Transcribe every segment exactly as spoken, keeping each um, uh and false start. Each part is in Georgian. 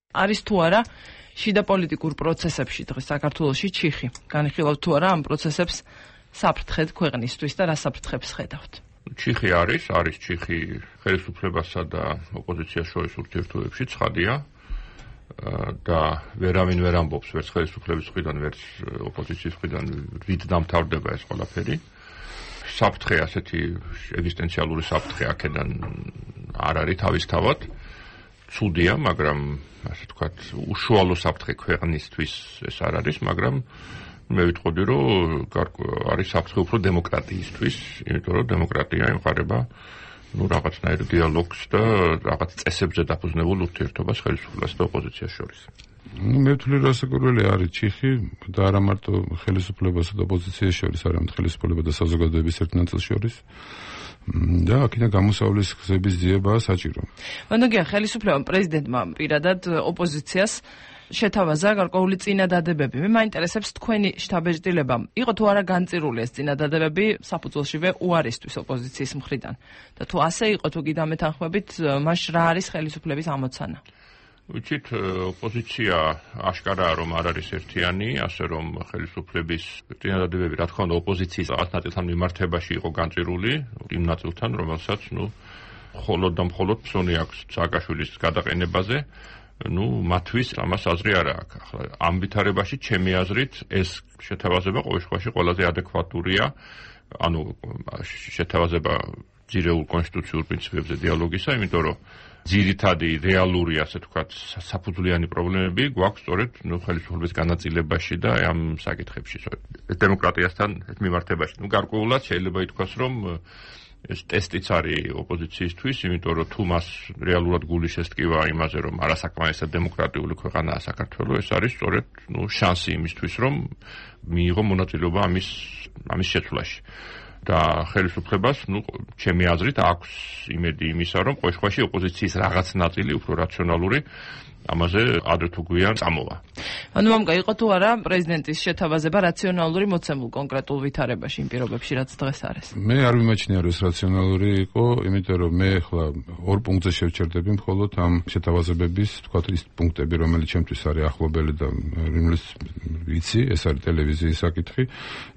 არის თუ არა შიდა პოლიტიკურ პროცესებში დღეს საქართველოში ჩიხი. განიხილავთ თუ არა ამ პროცესებს საფრთხედ ქვეყნისთვის და რა საფრთხებს ხედავთ? ჩიხი არის, არის ჩიხი ხელისუფლებასა და ოპოზიციას შორის ურთიერთობებში, ცხადია. და ვერავინ ვერ ამბობს ვერც ხელისუფლების მხრიდან, ვერც ოპოზიციის მხრიდან რით დამთავრდება ეს ყველაფერი. საფრთხე ასეთი ეგზისტენციალური საფრთხე აქედან არ არის თავისთავად. ცუდია, მაგრამ ასე ვთქვათ, უშუალო საფრთხე ქვეყნისთვის ეს არ არის, მაგრამ მე ვიტყოდი, რომ არის საფრთხე უფრო დემოკრატიისთვის, იმიტომ რომ დემოკრატია ემყარება ну რაღაცნაირ დიალოგს და რაღაც წესებზე დაფუძნებულ ურთიერთობას ხელისუფლებას და ოპოზიციას შორის. ну მე ვთვლი რომ საკურველი არის ჩიხი და არა მარტო ხელისუფლებასა და ოპოზიციას შორის, არამედ ხელისუფლება და საზოგადოების ერთ ნაწილს შორის. და აქედან გამოსავლის გზების ძიებაა საჭირო. მანდაგია ხელისუფლებამ პრეზიდენტმა პირადად ოპოზიციას შეთავაზა გარკვეული წინადადებები. მე მაინტერესებს თქვენი შთაბეჭდილება. იყო თუ არა განწირული ეს წინადადებები საფუძველშივე უარისთვის ოპოზიციის მხრიდან? და თუ ასე იყო, თუ კიდევ მეთანხმებით, მაშ რა არის ხელისუფლების ამოცანა? ვიცით, ოპოზიცია აშკარაა რომ არ არის ერთიანი, ასე რომ ხელისუფლების წინადადებები, რა თქმა უნდა, ოპოზიციის რაღაც ნაწილთან მიმართებაში იყო განწირული, იმ ნაწილთან, რომელსაც, ну, მხოლოდ და მხოლოდ ფსონი აქვს სააკაშვილის გადაყენებაზე. ну, მათთვის ამას აზრი არ აქვს. ახლა ამ ვითარებაში ჩემი აზრით ეს შეთავაზება ყოველ შემთხვევაში ყველაზე ადეკვატურია. ანუ შეთავაზება ძირეულ კონსტიტუციურ პრინციპებზე დიალოგისა, იმიტომ რომ ძირითადი რეალური, ასე ვთქვათ, საფუძვლიანი პრობლემები გვაქვს სწორედ ну, ხელისუფლების განაწილებაში და ამ საკითხებში, დემოკრატიასთან მიმართებაში. ну, გარკვეულად შეიძლება ითქვას, რომ ეს ტესტიც არის ოპოზიციისთვის, იმიტომ რომ თუ მას რეალურად გული შესტკივა იმაზე, რომ არასაკმარისად დემოკრატიული ქვეყანაა საქართველო, ეს არის სწორედ ну, შანსი იმისთვის, რომ მიიღო მონაწილეობა ამის ამის შეცვლაში. და ხელისუფლებას, ну, ჩემი აზრით, აქვს იმედი იმისა, რომ ყოველ შემთხვევაში ოპოზიციის რაღაც ნაწილი უფრო რაციონალური ამაზე ადრე თუ გვიან წამოვა. ანუ მამკა იყო თუ არა პრეზიდენტის შეთავაზება რაციონალური მოცემულ კონკრეტულ ვითარებაში იმ პირობებში, რაც დღეს არის? მე არ ვიმაჩნია, რომ ეს რაციონალური იყო, იმიტომ რომ მე ახლა ორ პუნქტზე შევჩერდები მხოლოდ ამ შეთავაზებების, თქვათ, ის პუნქტები, რომელიც ჩემთვის არის ახლობელი და რომლის ვიცი, ეს არის ტელევიზიის საკითხი,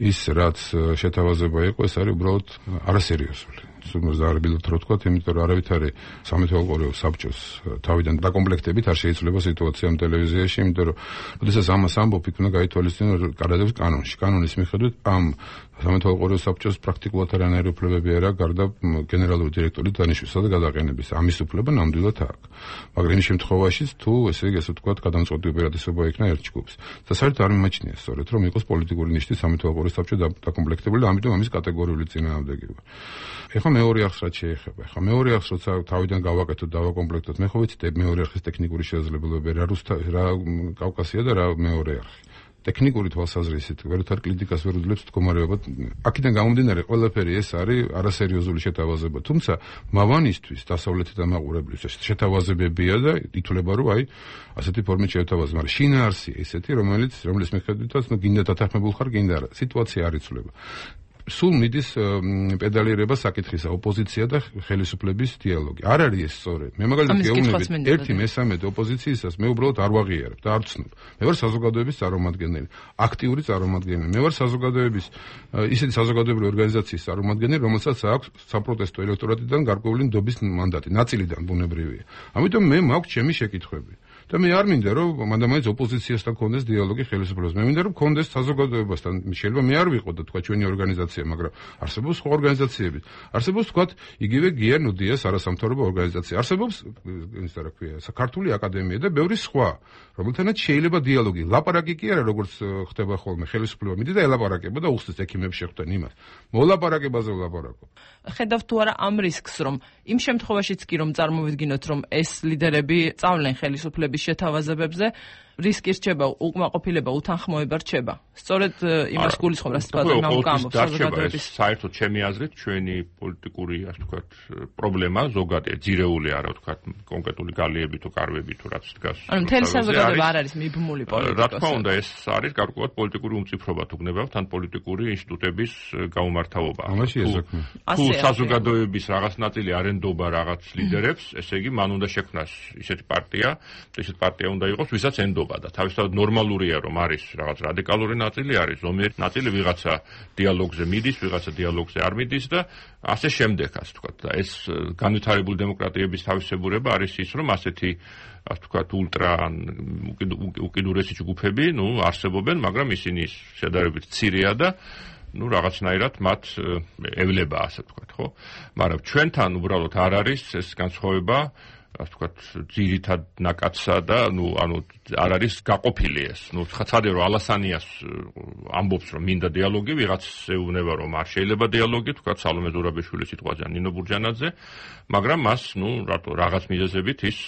ის რაც შეთავაზება იყო, ეს არის უბრალოდ არასერიოზული. ზარბილად რო თქვა, იმიტომ რომ არავითარი სამეთვალყურეო საბჭოს თავიდან დაკომპლექტებით არ შეიძლება სიტუაცია ამ ტელევიზიაში, იმიტომ რომ როდესაც ამას ამბობ, იქ უნდა გაითვალისწინო გადადებს კანონში. კანონის მიხედვით ამ სამეთვალყურეო საბჭოს პრაქტიკულად არანაირი უფლებები არ აქვს, გარდა გენერალური დირექტორის დანიშვნისა და გადაყენების. ამის უფლება ნამდვილად აქვს. მაგრამ იმ შემთხვევაშიც თუ ესე იგი ასე ვთქვათ, გადამწყვეტი უპირატესობა იქნა ერთ ჯგუფს. და საერთოდ არ მიმაჩნია სწორედ, რომ იყოს პოლიტიკური ნიშნით სამეთვალყურეო საბჭო დაკომპლექტებული და ამიტომ ამის კატეგორიული წინააღმდეგობა. ეხლა მეორე არხს რაც შეეხება. ეხლა მეორე არხს როცა თავიდან გავაკეთოთ, დავაკომპლექტოთ, მე ხო ვიცით მეორე არხის ტექნიკური შესაძლებლობები, რა რუსთა, რა კავკასია და რა მეორე არხი. ტექნიკური თვალსაზრისით ვერთ არ კრიტიკას ვერ უძლებს მდგომარეობა. აქედან გამომდინარე ყველაფერი ეს არის არასერიოზული შეთავაზება. თუმცა მავანისთვის, დასავლეთის დამაყურებლისთვის შეთავაზებებია და ითვლება, რომ აი ასეთი ფორმით შეთავაზება. მაგრამ შინაარსი ესეთი, რომელიც რომლის მიხედვითაც ნუ გინდა დათანხმებულ ხარ, გინდა არა. სიტუაცია არ იცვლება. სულ მიდის პედალირება საკითხისა, ოპოზიცია და ხელისუფლების დიალოგი. არ არის ეს სწორედ. მე მაგალითად გეუბნებით ერთი მესამედ ოპოზიციისას მე უბრალოდ არ ვაღიარებ და არ ვცნობ. მე ვარ საზოგადოების წარმომადგენელი, აქტიური წარმომადგენელი. მე ვარ საზოგადოების ისეთი საზოგადოებრივი ორგანიზაციის წარმომადგენელი, რომელსაც აქვს საპროტესტო ელექტორატიდან გარკვეული ნდობის მანდატი, ნაწილიდან ბუნებრივია. ამიტომ მე მაქვს ჩემი შეკითხვები. და მე არ მინდა რომ მანდამაინც ოპოზიციასთან კონდეს დიალოგი ხელისუფლებას. მე მინდა რომ კონდეს საზოგადოებასთან. შეიძლება მე არ ვიყო და თქვა ჩვენი ორგანიზაცია, მაგრამ არსებობს სხვა ორგანიზაციები. არსებობს თქვა იგივე გია ნუდიას არასამთავრობო ორგანიზაცია. არსებობს ის რა ქვია, საქართველოს აკადემია და ბევრი სხვა, რომელთანაც შეიძლება დიალოგი. ლაპარაკი კი არა, როგორც ხდება ხოლმე, ხელისუფლება მიდის და ელაპარაკება და უხსნის ექიმებს შეხვდნენ იმას. მოლაპარაკებაზე ვლაპარაკობ. ხედავთ თუ არა ამ რისკს, რომ იმ შემთხვევაშიც კი რომ წარმოვიდგინოთ, რომ ეს ლიდერები წავლენ ხელისუფლების შეთავაზებებზე, რისკი რჩება, უკმაყოფილება, უთანხმოება რჩება. სწორედ იმას გულისხმობ, რაც თქვა მამკამბობს საზოგადოების. საერთოდ ჩემი აზრით, ჩვენი პოლიტიკური, ასე ვთქვათ, პრობლემა ზოგადია, ძირეული არა, ვთქვათ, კონკრეტული გალიები თუ კარვები თუ რაც დგას. ანუ მთელი საზოგადოება არ არის მიბმული პოლიტიკოსი. რა თქმა უნდა, ეს არის გარკვეულად პოლიტიკური უმწიფრობა თუ გნებავთ, ან პოლიტიკური ინსტიტუტების გაუმართავობა. ამაში ესაქმე. თუ საზოგადოების რაღაც ნაწილი არ ენდობა რაღაც ლიდერებს, ესე იგი, მან უნდა შექმნას ისეთი პარტია და ისეთ პარტია უნდა იყოს, ვისაც ენდობა და თავისთავად ნორმალურია, რომ არის რაღაც რადიკალური ნაწილი, არის ზომიერი ნაწილი, ვიღაცა დიალოგზე მიდის, ვიღაცა დიალოგზე არ მიდის და ასე შემდეგ, ასე ვთქვათ. და ეს განვითარებული დემოკრატიების თავისებურება არის ის, რომ ასეთი ასე ვთქვათ, ულტრა უკიდურესი ჯგუფები, ნუ არსებობენ, მაგრამ ისინი შედარებით მცირეა და ну რაღაცნაირად მათ ევლება ასე ვთქვათ, ხო? მაგრამ ჩვენთან უბრალოდ არ არის ეს განსხვავება, ასე ვთქვათ, ძირითად ნაკადსა და ну ანუ არ არის გაყოფილი ეს. ну ხაცადე რომ ალასანიას ამბობს რომ მინდა დიალოგი, ვიღაც ეუბნება რომ არ შეიძლება დიალოგი, ვთქვათ, სალომე ზურაბიშვილის სიტყვაზე, ნინო ბურჯანაძე, მაგრამ მას ну რატო რაღაც მიზეზებით ის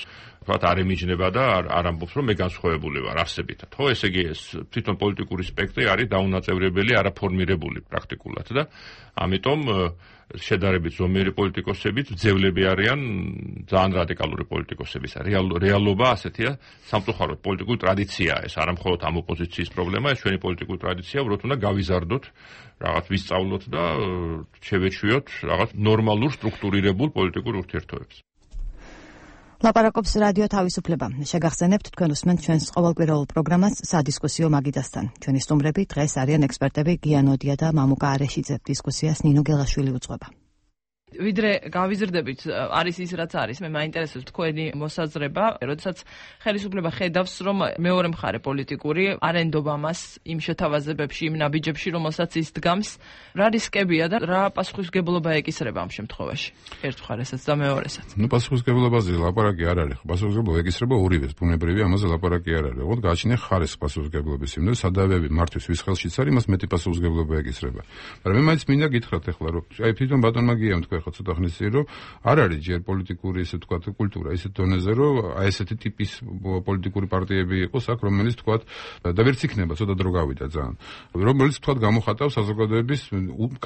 ვთქვათ, არ ემიჯნება და არ ამბობს, რომ მე განსხვავებული ვარ არსებითად. ხო, ესე იგი ეს თვითონ პოლიტიკური სპექტრი არის დაუნაწევრებელი, არაფორმირებული პრაქტიკულად და ამიტომ შედარებით ზომიერი პოლიტიკოსებიც ძევლები არიან ძალიან რადიკალური პოლიტიკოსების. რეალობა ასეთია, სამწუხაროდ პოლიტიკური ტრადიციაა ეს, არა მხოლოდ ამ ოპოზიციის პრობლემა, ეს ჩვენი პოლიტიკური ტრადიცია, უბრალოდ უნდა გავიზარდოთ, რაღაც ვისწავლოთ და შევეჩვიოთ რაღაც ნორმალურ სტრუქტურირებულ პოლიტიკურ ურთიერთობებს. ლაპარაკობს რადიო თავისუფლება. შეგახსენებთ თქვენ უსმენთ ჩვენს ყოველკვირეულ პროგრამას სადისკუსიო მაგიდასთან. ჩვენი სტუმრები დღეს არიან ექსპერტები გიანოდია და მამუკა არეშიძე. დისკუსიას ნინო გელაშვილი უძღვება. ვიდრე გავიზრდებით, არის ის რაც არის, მე მაინტერესებს თქვენი მოსაზრება, როდესაც ხელისუფლება ხედავს, რომ მეორე მხარე პოლიტიკური არ ენდობა მას იმ შეთავაზებებში, იმ ნაბიჯებში, რომელსაც ის დგამს, რა რისკებია და რა პასუხისმგებლობა ეკისრება ამ შემთხვევაში. ერთ მხარესაც და მეორესაც. ну პასუხისმგებლობაზე ლაპარაკი არ არის, პასუხისმგებლობა ეკისრება ორივეს, ბუნებრივი, ამაზე ლაპარაკი არ არის. ოღონდ გააჩნია ხარეს პასუხისმგებლობის, იმდენ სადავეები მართვის ვის ხელშიც არის, მას მეტი პასუხისმგებლობა ეკისრება. მაგრამ მე მაინც მინდა გითხრათ ახლა, რომ აი თვითონ ბატონმა გიამ თქვენ ხო ცოტა ხნის წინ, რომ არ არის ჯერ პოლიტიკური ესე ვთქვათ კულტურა ისეთ დონეზე, რომ აი ესეთი ტიპის პოლიტიკური პარტიები იყოს აქ, რომელიც ვთქვათ და ვერც იქნება ცოტა დრო გავიდა ძალიან. რომელიც ვთქვათ გამოხატავს საზოგადოების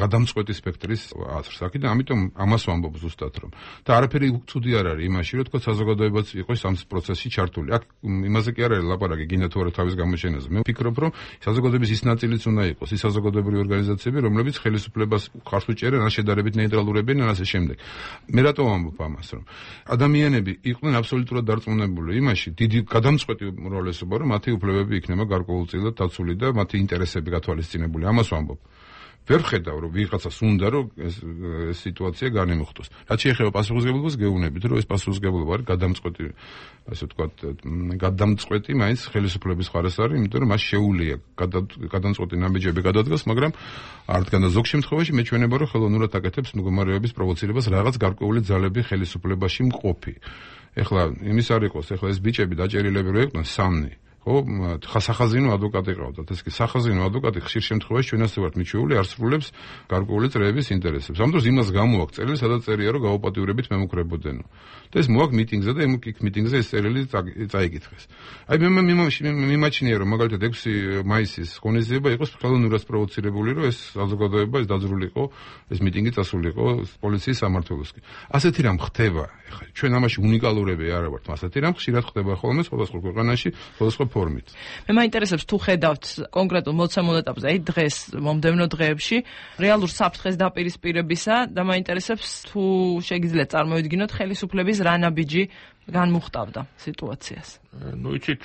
გადამწყვეტი სპექტრის აზრს. აქედან ამიტომ ამას ვამბობ ზუსტად, რომ და არაფერი ცუდი არ არის იმაში, რომ ვთქვათ საზოგადოებაც იყოს ამ პროცესში ჩართული. აქ იმაზე კი არ არის ლაპარაკი, გინდა თუ არა თავის გამოჩენაზე. მე ვფიქრობ, რომ საზოგადოების ის ნაწილიც უნდა იყოს, ის საზოგადოებრივი ორგანიზაციები, რომლებიც ხელისუფლებას ხარს უჭერენ, ან შედარებით ნეიტრალურებენ, ან ასე შემდეგ. მე რატო ვამბობ ამას, რომ ადამიანები იყვნენ აბსოლუტურად დარწმუნებული იმაში, დიდი გადამწყვეტი უმრავლესობა, რომ მათი უფლებები იქნება გარკვეულწილად დაცული და მათი ინტერესები გათვალისწინებული. ამას ვამბობ. ვერ ხედავ, რომ ვიღაცას უნდა, რომ ეს სიტუაცია განემუხტოს. რაც შეეხება პასუხისმგებლობას, გეუბნებით, რომ ეს პასუხისმგებლობა არის გადამწყვეტი, ასე ვთქვათ, გადამწყვეტი მაინც ხელისუფლების მხარეს არის, იმიტომ რომ მას შეუძლია გადამწყვეტი ნაბიჯები გადადგას, მაგრამ არ დგან და ზოგ შემთხვევაში მეჩვენება, რომ ხელოვნურად აკეთებს მდგომარეობის პროვოცირებას რაღაც გარკვეული ძალები ხელისუფლებაში მყოფი. ეხლა იმის არ იყოს, ეხლა ეს ბიჭები დაჭერილები რო იყვნენ სამნი. ხო, სახაზინო ადვოკატი ყავდათ. ეს კი სახაზინო ადვოკატი ხშირ შემთხვევაში ჩვენ ასე ვართ მიჩვეული, არსრულებს გარკვეული წრეების ინტერესებს. ამ დროს იმას გამოაქვს წერილი, სადაც წერია, რომ გაუპატიურებით მემუქრებოდენო. და ეს მოაქვს მიტინგზე და იმ მიტინგზე ეს წერილი წაიკითხეს. აი მე მიმაჩნია, რომ მაგალითად ექვსი მაისის ღონისძიება იყოს ხელოვნურად პროვოცირებული, რომ ეს საზოგადოება ეს დაძრულიყო, ეს მიტინგი წასულიყო პოლიციის სამმართველოსკენ. ასეთი რამ ხდება, ეხლა ჩვენ ამაში უნიკალურები არ ვართ, ასეთი რამ ხშირად ხდება ხოლმე სხვადასხვა ქვეყანაში, სხვადასხვა ფორმით. მე მაინტერესებს თუ ხედავთ კონკრეტულ მოცემულ ეტაპზე, აი დღეს მომდევნო დღეებში რეალურ საფრთხეს დაპირისპირებისა და მაინტერესებს თუ შეგიძლიათ წარმოვიდგინოთ ხელისუფლების რა ნაბიჯი განმუხტავდა სიტუაციას. ну იცით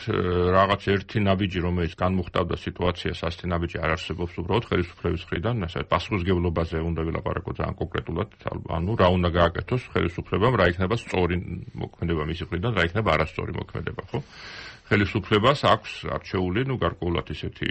რაღაც ერთი ნაბიჯი რომელიც განმუხტავდა სიტუაციას, ასეთი ნაბიჯი არ არსებობს უბრალოდ ხელისუფლების მხრიდან, ასე პასუხისმგებლობაზე უნდა ვილაპარაკოთ ძალიან კონკრეტულად, ანუ რა უნდა გააკეთოს ხელისუფლებამ, რა იქნება სწორი მოქმედება მისი მხრიდან, რა იქნება არასწორი მოქმედება, ხო? ხელისუფლებას აქვს არჩეული, ну გარკვეულად ისეთი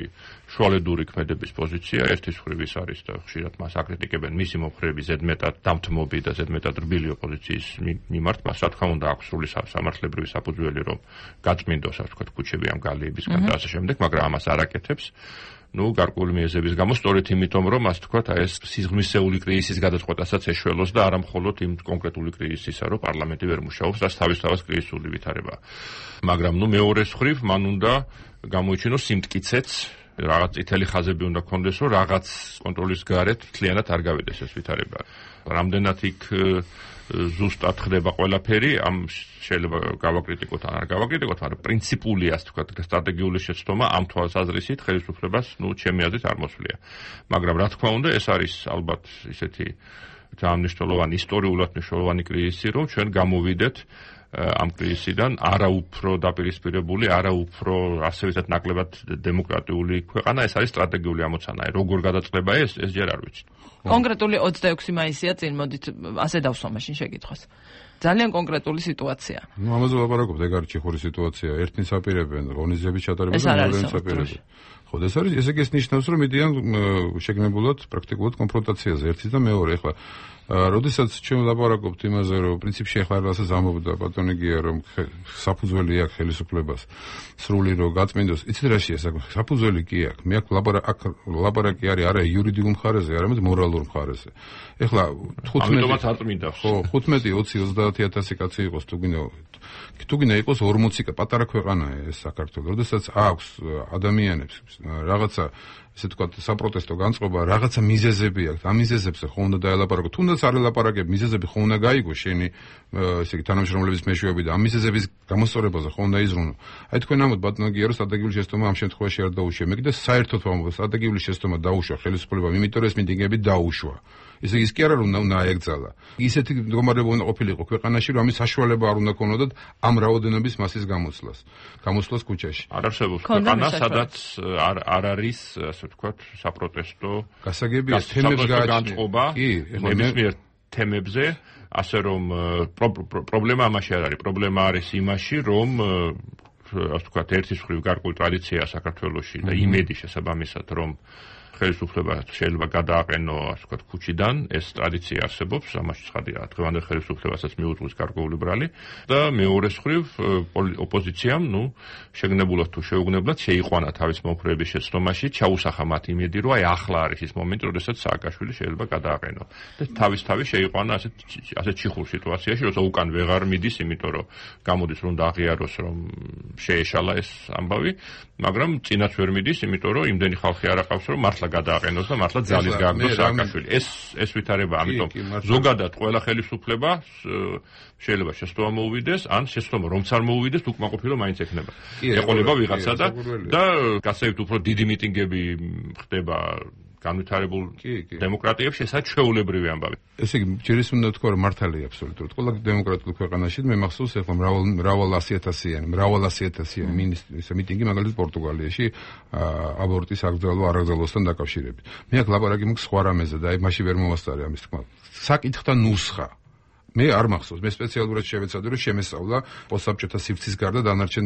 შუალედური ქმედების პოზიცია, ერთის მხრივ ის არის და ხშირად მას აკრიტიკებენ მისი მომხრეები ზედმეტად დამთმობი და ზედმეტად რბილი ოპოზიციის მიმართ, მას რა თქმა უნდა აქვს სრული სამართლებრივი საფუძველი, რომ გაწმინდოს, ასე ვთქვათ, ქუჩები ამ გალიებისგან და ასე შემდეგ, მაგრამ ამას არ აკეთებს. ну გარკვეული მიზეზების გამო, სწორედ იმიტომ, რომ ასე ვთქვათ, აი ეს სიღრმისეული კრიზისის გადაწყვეტასაც ეშველოს და არა მხოლოდ იმ კონკრეტული კრიზისისა, რომ პარლამენტი ვერ მუშაობს, რაც თავისთავად კრიზისული ვითარება. მაგრამ ну მეორეს მხრივ მან უნდა გამოიჩინოს სიმტკიცეც, რაღაც წითელი ხაზები უნდა ქონდეს, რომ რაღაც კონტროლის გარეთ მთლიანად არ გავიდეს ეს ვითარება. რამდენად იქ ზუსტად ხდება ყველაფერი, ამ შეიძლება გავაკრიტიკოთ ან არ გავაკრიტიკოთ, მაგრამ პრინციპული, ასე ვთქვათ, სტრატეგიული შეცდომა ამ თვალსაზრისით ხელისუფლებას, ну, ჩემი აზრით არ მოსვლია. მაგრამ რა თქმა უნდა, ეს არის ალბათ ისეთი ძალიან მნიშვნელოვანი, ისტორიულად მნიშვნელოვანი კრიზისი, რომ ჩვენ გამოვიდეთ ამ კრიზისიდან, არა უფრო დაპირისპირებული, არა უფრო ასე ვთქვათ ნაკლებად დემოკრატიული ქვეყანა, ეს არის სტრატეგიული ამოცანა. როგორ გადაწყდება ეს, ეს ჯერ არ ვიცი. კონკრეტული ოცდაექვსი მაისია წინ, მოდით ასე დავსვა მაშინ შეკითხვას. ძალიან კონკრეტული სიტუაცია. ნუ ამაზე ვაპარაკობთ, ეგ არის ჩიხური სიტუაცია. ერთნი საპირებენ, ღონისძიების ჩატარება და მეორენი საპირებენ. ხო, ეს არის, ესე იგი ეს ნიშნავს, რომ მიდიან შეგნებულად პრაქტიკულად კონფრონტაციაზე ერთის და მეორე. ეხლა როდესაც ჩვენ ვლაპარაკობთ იმაზე, რომ პრინციპში ახლა რასაც ამბობდა ბატონი გია, რომ საფუძველი აქვს ხელისუფლებას სრული რომ გაწმინდოს, იცით რაშია საქმე? საფუძველი კი აქვს. მე აქ ლაპარაკი არის არა იურიდიულ მხარეზე, არამედ მორალურ მხარეზე. ეხლა თხუთმეტი ამიტომაც არ წმინდა. ხო, თხუთმეტი, ოცი, ოცდაათი ათასი კაცი იყოს თუ გინდა თუ გინდა იყოს ორმოცი პატარა ქვეყანაა ეს საქართველო. როდესაც აქვს ადამიანებს რაღაცა ესე ვთქვათ, საპროტესტო განწყობა, რაღაცა მიზეზები აქვს. ამ მიზეზებზე ხო უნდა დაელაპარაკო. თუნდაც არ ელაპარაკებ, მიზეზები ხო უნდა გაიგო შენი, ესე იგი, თანამშრომლების მეშვეობით და ამ მიზეზების გამოსწორებაზე ხო უნდა იზრუნო. აი თქვენ ამბობთ ბატონო გია, რომ სტრატეგიული შეცდომა ამ შემთხვევაში არ დაუშვა. მე კიდე საერთოდ ვამბობ, სტრატეგიული შეცდომა დაუშვა ხელისუფლებამ, იმიტომ რომ ეს მიტინგები დაუშვა. ისე ის კი არა რომ უნდა აეგზალა. ისეთი მდგომარეობა უნდა ყოფილიყო ქვეყანაში, რომ ამის საშუალება არ უნდა ქონოდათ ამ რაოდენობის მასის გამოცვლას. გამოცვლას ქუჩაში. არ არსებობს ქვეყანა, სადაც არ არ არის, ასე ვთქვათ, საპროტესტო გასაგებია თემებს განწყობა ნებისმიერ თემებზე, ასე რომ პრობლემა ამაში არ არის. პრობლემა არის იმაში, რომ ასე ვთქვათ, ერთის მხრივ გარკვეული ტრადიციაა საქართველოში და იმედი შესაბამისად, რომ ხელისუფლება შეიძლება გადააყენო, ასე ვთქვათ, ქუჩიდან, ეს ტრადიცია არსებობს, ამაში ცხადია, დღევანდელ ხელისუფლებასაც მიუძღვის გარკვეული ბრალი და მეორეს მხრივ ოპოზიციამ, ნუ, შეგნებულად თუ შეუგნებლად შეიყვანა თავის მომხრეების შეცდომაში, ჩაუსახა მათ იმედი, რომ აი ახლა არის ის მომენტი, როდესაც სააკაშვილი შეიძლება გადააყენო. და თავის-თავის შეიყვანა ასეთ ასეთ ჩიხურ სიტუაციაში, როცა უკან ვეღარ მიდის, იმიტომ რომ გამოდის რომ დააღიაროს, რომ შეეშალა ეს ამბავი, მაგრამ წინაც ვერ მიდის, იმიტომ რომ იმდენი ხალხი არ აყავს, რომ მართლა გადააყენოს და მართლა ძალის გააგდოს სააკაშვილი. ეს ეს ვითარება, ამიტომ ზოგადად ყველა ხელისუფლება შეიძლება შეცდომა მოუვიდეს, ან შეცდომა რომც არ მოუვიდეს, უკმაყოფილო მაინც ექნება. ეყოლება ვიღაცა და და გასაით უფრო დიდი მიტინგები ხდება განვითარებულ დემოკრატიებში, ესაც ჩვეულებრივი ამბავი. ესე იგი, ჯერ ის უნდა თქვა, რომ მართალია აბსოლუტურად. ყველა დემოკრატიულ ქვეყანაში მე მახსოვს ახლა მრავალ მრავალ ასიათასიანი, მრავალ ასიათასიანი მინისტრის მიტინგი მაგალითად პორტუგალიაში აბორტის აკრძალვა არაკრძალვასთან დაკავშირებით. მე აქ ლაპარაკი მაქვს სხვა რამეზე და აი მაშინ ვერ მომასწარე ამის თქმა. საკითხთა ნუსხა მე არ მახსოვს, მე სპეციალურად შევეცადე, რომ შემესწავლა პოსტსაბჭოთა სივრცის გარდა დანარჩენ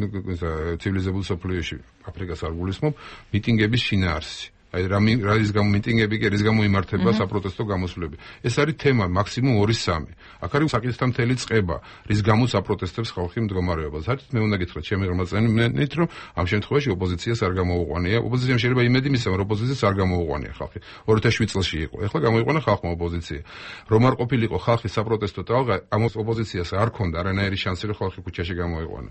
ცივილიზებულ სოფლიოში, აფრიკას არ გულისხმობ, მიტინგების შინაარსი. აი რა რის გამო მიტინგები კი რის გამო იმართება საპროტესტო გამოსვლები. ეს არის თემა მაქსიმუმ ორი სამი. აქ არის საკითხთა მთელი წყება, რის გამო საპროტესტებს ხალხი მდგომარეობა. საერთოდ მე უნდა გითხრათ ჩემი ღმერთწმენით, რომ ამ შემთხვევაში ოპოზიციას არ გამოუყვანია. ოპოზიციამ შეიძლება იმედი მისცემ, რომ ოპოზიციას არ გამოუყვანია ხალხი. ორი ათას შვიდ წელში იყო. ეხლა გამოიყვანა ხალხმა ოპოზიცია. რომ არ ყოფილიყო ხალხის საპროტესტო ტალღა, ამ ოპოზიციას არ ქონდა არანაირი შანსი, რომ ხალხი ქუჩაში გამოიყვანა.